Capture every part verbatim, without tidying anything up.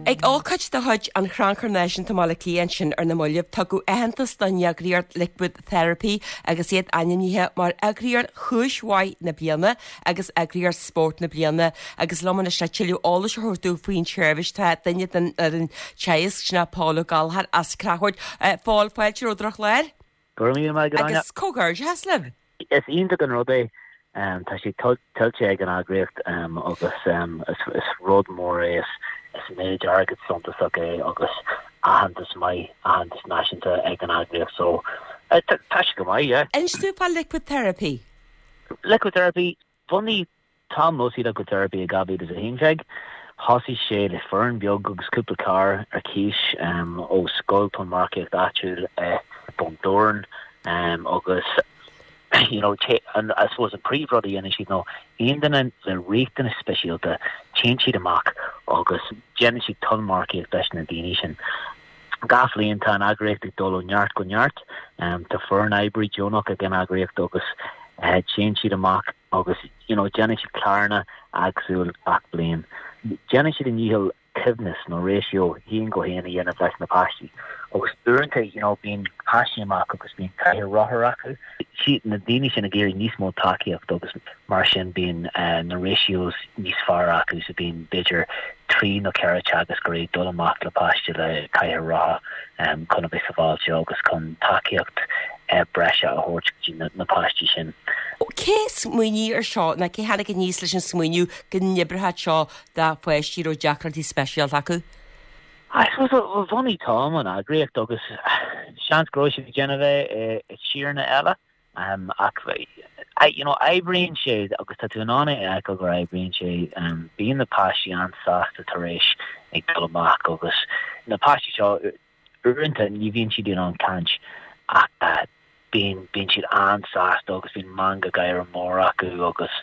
Ag ócáid de chuid an Chrannchuir Náisiúnta i mBaile Átha Cliath ansin ar na mallaibh tugadh aitheantas don eagraíocht Liquid Therapy agus iad ainmnithe mar eagraíocht chúis mhaith na bliana agus eagraíocht spóirt na bliana agus liom anois le tuilleadh eolais a thabhairt faoin tseirbhís tá duine den fhoireann teagaisc sin Paul Ó Gallchóir as Creachmhaoil. Paul fáilte romhat ar an chlár? Go raibh maith Agus comhghairdeas libh. Is iontach an rud é um, tá sé tuillte ag an eagraíocht um, agus um, is, is rud mór é is, is méid airgid suntasach é agus aitheantas maith aitheantas náisiúnta ag an eagraíocht so uh, tá sé go maith yeah. Inis dúinn fá Liquid Therapy. Liquid Therapy bhunaigh Tom Mosey Liquid Therapy i dhá mhíle is a haon déag. Thosaigh sé le foireann beag agus cúpla carr ar cíos um, ó scoil tonnmharcaíocht áitiúil uh, Bun Dobhráin um, agus you know, an I suppose an príomhrud a dhéanann siad nó aon duine le riachtanas speisialta téann siad amach agus déanann siad tonnmharcaíocht leis na daoine sin. Gach bliain tá an eagraíocht ag dul ó neart go neart, um, tá foireann oibrí deonach ag an eagraíocht agus uh, téann siad amach agus you know, déanann siad cláranna éagsúil gach bliain. Déanann siad a ndícheall coibhneas nó ratio haon go haon a dhéanamh leis na páistí. Agus uaireanta you know, bíonn páistí amach agus bíonn cathaoir rothar acu. Si na daoine sin ag iarraidh níos mó tacaíocht agus mar sin bíonn uh, na ratios níos fearr acu so bíonn b'fhéidir trí nó ceithre teagascóirí dul amach le páiste le cathaoir rothar um, chun a bheith sábháilte agus chun tacaíocht uh, breise a thabhairt go dtí na, na páistí sin. Cé smaoinigh ar seo nó cé tháinig aníos leis an smaoineamh go n-oibreodh seo do pháistí raibh deacrachtaí speisialta acu? I suppose bhunaigh Tom an eagraíocht agus seans go raibh sé déanamh é i tíortha eile um, ach you know, oibríonn sé agus tá tú in ann é gur oibríonn sé um, bíonn na páistí an-sásta tar éis ag dul amach agus na páistí seo uaireanta ní bhíonn siad in ann caint ach uh, bíonn bíonn siad an-sásta agus bíonn meangadh gáire mór acu agus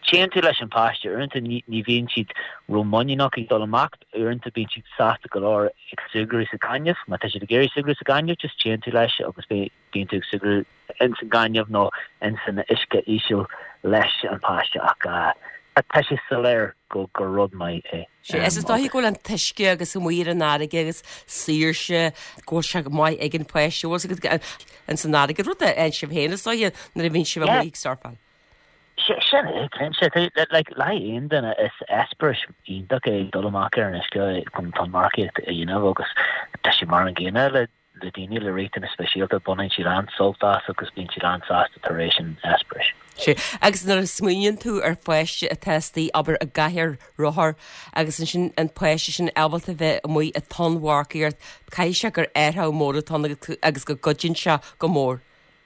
téann tú leis an páiste uaireanta ní bhíonn siad rómhuiníneach ag dul amach uaireanta bíonn siad sásta go leor ag súgradh sa ghaineamh, má tá siad ag iarraidh súgradh sa ghaineamh just téann tú leis agus bíonn tú ag súgradh in san gaineamh nó in san uisce íseal leis an páiste ach uh, tá sé soiléir go gur rud maith é. Sé is dóigh go bhfuil an t-uisce agus amuigh ar an fharraige agus saoirse go bhfuil sé go maith ag an pháiste agus an san fharraige rud a sibh féin is dóigh nuair a bhíonn sibh amuigh ag surfáil. Sin é like le aon duine is eispéireas iontach é dul amach ar an uisce chun tonnmharcaíocht a dhéanamh agus tá sé mar an gcéanna le le daoine le riachtanas speisialta baineann siad an-sult as agus bíonn siad an-sásta tar éis an eispéiris. Sé agus nuair a smaoiníonn tú ar pháiste atá istigh abair i gcathaoir rothar agus ansin an páiste sin ábalta bheith amuigh ag tonnmharcaíocht caithfidh sé gur athrú mór atá agus go gcuidíonn sé go mór.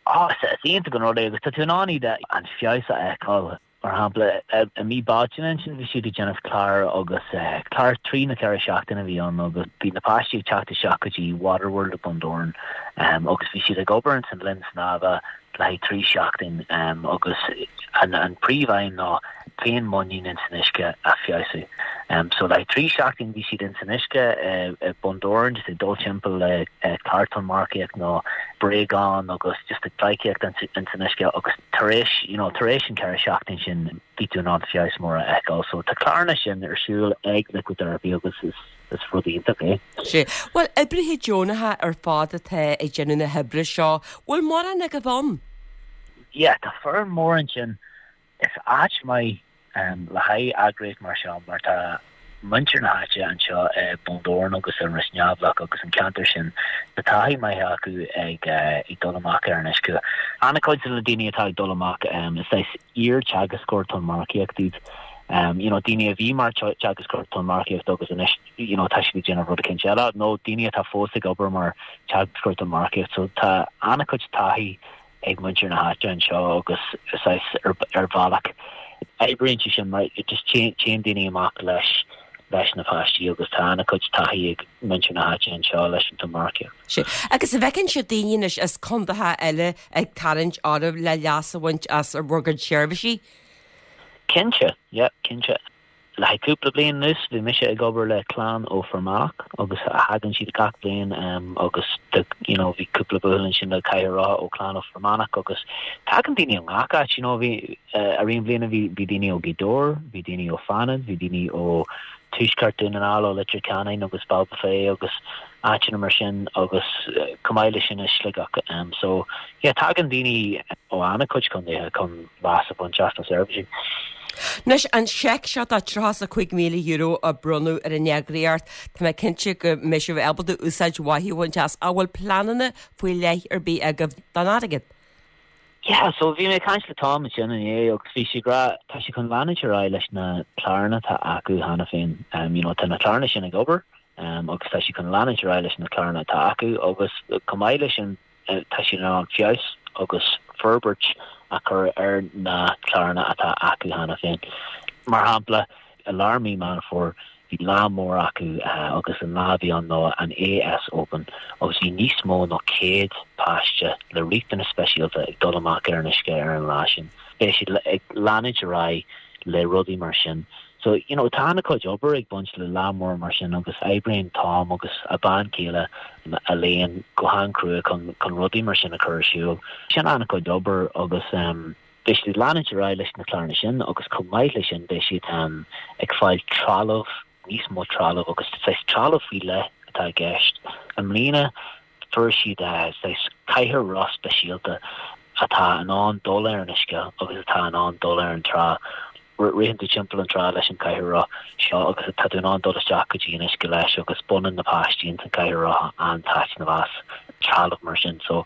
Ah, is iontach an rud é agus tá tú in ann iad an feabhas a fheiceáil mar shampla i mí Bealtaine sin bhí siad ag déanamh clár agus clár trí nó ceithre seachtaine a bhí ann agus bhí na páistí ag teacht isteach go dtí Waterworld Bun Dobhráin um, agus bhí siad ag obair san linn snámha le trí seachtain um, agus an, an príomhaidhm ná féinmhuinín in san uisce a fheabhsú. Um, so le trí seachtain bhí siad in san uisce uh, Bun Dobhráin just ag dul timpeall le uh, clár tonnmharcaíocht nó bréagán agus just ag pleidhcíocht in san uisce agus tar éis you know, tar éis an ceithre seachtain sin bhí tú in ann feabhas mór a fheiceáil, so tá cláranna sin ar siúl ag Liquid Therapy agus is is rud iontach é. Sé Well oibrithe deonacha ar fad atá ag déanamh na hoibre seo, bhfuil mórán agaibh ann? Yeah, tá foireann mór ansin is áit maith um, le haghaidh eagraíocht mar seo mar tá muintir na háite anseo i Bun Dobhráin agus an Ros Neamhlach agus an ceantar sin tá taithí maith acu ag uh, ag dul amach ar an uisce. An-chuid de na daoine atá ag dul amach um, is é iar-teagascóir tonnmharcaíocht iad. Um, you know, daoine a bhí mar teagascóir tonnmharcaíocht agus anois you know, tá siad déanamh rud éicint eile, nó daoine atá fós ag obair mar teagascóir tonnmharcaíocht, so tá an-chuid taithí ag muintir na háite anseo agus is ar, ar bhealach oibríonn sé sin mar just téann daoine amach leis leis na páistí agus tá an-chuid taithí ag muintir na háite anseo leis an tonnmharcaíocht. Sé agus an bhfeiceann sibh daoine anois as contaetha eile ag tarraingt oraibh le leas a bhaint as bhur gcuid seirbhísí? Cinnte, yeah, cinnte. Le cúpla bliain anuas bhí mise ag obair le clann ó Fhear Manach agus a thagann siad gach bliain um, agus the, you know, bhí cúpla buachaill sin le cathaoir rothar ó clann ó Fear Manach agus tagann daoine ó gach áit you know, bhí uh, ar aon bhliana bhí bhí daoine ó Ghaoth Dobhair, bhí daoine ó Fánaid, bhí daoine ó tuaisceart Dhún na nGall ó Leitir Ceanainn agus Ballybofey agus áiteanna mar sin agus chomh maith leis sin i Sligeach. Um, so yeah, tagann daoine ó an-chuid contaetha chun leas a bhaint as na seirbhísí. Anois an seic seo de tríocha cúig míle euro a bronnadh ar an eagraíocht Tá mé cinnte go mbeidh sibh ábalta úsáid mhaith a bhaint as an bhfuil pleananna faoi leith ar bith agaibh don airgead. Yeah, so bhí mé ag caint le Tom sin inné agus bhí sé ag rá tá sé chun leanúint ar aghaidh leis na cláranna atá acu cheana féin um, you know, tá na cláranna sin ag obair um, agus tá sé chun leanúint ar aghaidh leis na cláranna atá acu agus chomh maith leis sin uh, tá sé an feabhas agus forbairt a chur ar na cláranna atá acu cheana féin. Mar shampla i lár mí Meán Fómhair bhí lá mór acu uh, agus an lá bhí an ná an AS Open agus bhí níos mó ná céad páiste le riachtanais speisialta ag dul amach ar an uisce ar an lá sin. Beidh siad ag leanúint ar aghaidh le rudaí mar sin. So you know, tá an-chuid obair ag baint le lá mór mar sin agus oibríonn Tom agus a bean chéile a léon go han-chrua chun chun rudaí mar sin a chur ar siúl. Sin an-chuid obair agus um, beidh siad leanúint ar aghaidh leis na cláranna sin agus chomh maith leis sin beidh siad um, ag fáil trealamh níos mó trealamh agus trealamh faoi leith atá i gceist. I mbliana fuair siad cathaoir roth speisialta atá in ann dul ar an uisce agus atá in ann dul ar an trá. Ritheann tú timpeall an trá leis an cathaoir roth seo agus tá tú in ann dul isteach go dtí an uisce leis agus baineann na páistí an cathaoir roth an-taitneamh as trealamh mar sin so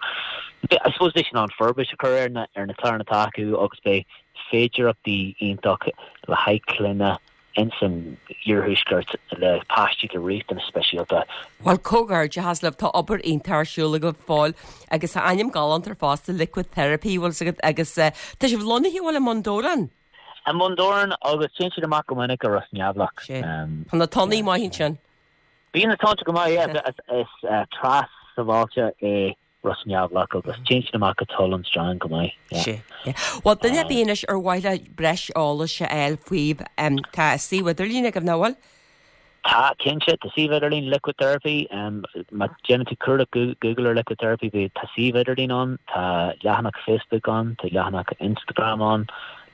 I suppose beidh an forbairt a chur ar na ar na cláranna atá acu agus beidh féidearthachtaí iontach le haghaidh clainne in san iarthuaisceart le páistí le riachtanais speisialta. Well comhghairdeas libh tá obair iontach ar siúl agaibh a Phóil agus a ainm galánta fosta liquid therapy bhfuil agat agus uh, tá sibh lonnaithe bhfuil i mBun Dobhráin. I mBun Dobhráin agus téann siad amach go minic go Ros Neamhlach. Tá na tonnaí maith sin. Bíonn na tonnta go maith is trá sábháilte é Ros Neamhlach agus téann siad amach go Tullan Strand go maith. Sé. Well duine ar bith anois ar mhaith le breis eolais a fháil faoi tá suíomh idirlín agaibh nach bhfuil? Tá cinnte tá suíomh idirlín liquid therapy um, má déanann tú cuardach Google ar liquid therapy bhí tá suíomh idirlín ann tá leathanach Facebook ann tá leathanach Instagram ann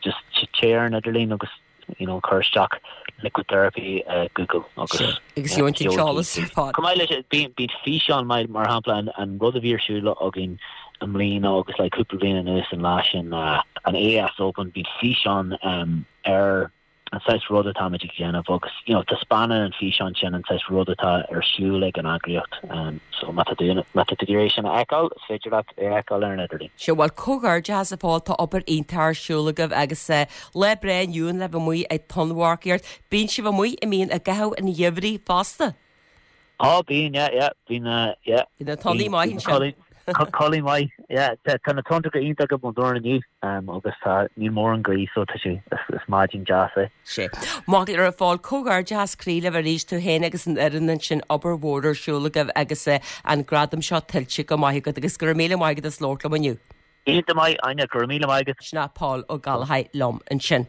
just téigh ar an idirlíon agus you know chur isteach liquid therapy uh, Google agus agus eolas ar fad. Chomh maith leis bíonn bíonn físeán mar mar shampla an, an rud a bhí ar siúl againn i mbliana agus le cúpla bliain anuas an lá sin uh, an AS Open bíonn físeán um, ar an saghas rud atáimid ag déanamh agus you know, taispeánann an físeán sin an saghas rud atá ar siúl ag an eagraíocht um, so má tá má tá tú sin a fheiceáil is féidir leat é a fheiceáil ar an idirlíon. Sé bhfuil comhghairdeas a Phóil tá obair iontach ar siúl agaibh agus uh, le breá inniu le bheith amuigh ag tonnmharcaíocht, bíonn sibh amuigh i mbíonn i gcaitheamh an gheimhridh fosta. Á bíonn bíonn Bhí na tonnaí maith sin. Codladh maith tá na tonnta go iontach go Bun Dobhráin inniu agus tá níl mórán gaoth so tá sé is maidin deas é. Sé. Má ar a Phóil comhghairdeas croí libh arís tú féin agus an fhoireann sin obair mhór ar siúl agaibh agus an gradam seo tuillte go maith agat agus go raibh míle maith agat as labhairt liom inniu. Iontach maith Áine go raibh míle maith agat. Sin Paul Ó Gallchóir liom ansin.